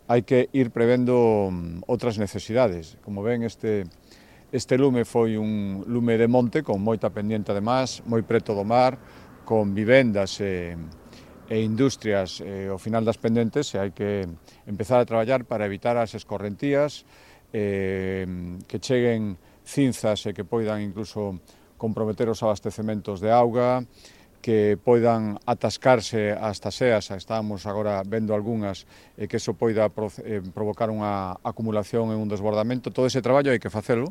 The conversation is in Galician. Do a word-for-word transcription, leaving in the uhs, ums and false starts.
hai que ir prevendo outras necesidades. Como ven, este, este lume foi un lume de monte con moita pendiente además, moi preto do mar, con vivendas e, e industrias e, ao final das pendentes, e hai que empezar a traballar para evitar as escorrentías, eh, que cheguen cinzas e que poidan incluso comprometer os abastecementos de auga, que poidan atascarse as taseas, estamos agora vendo algunhas, e que eso poida provocar unha acumulación e un desbordamento. Todo ese traballo hai que facelo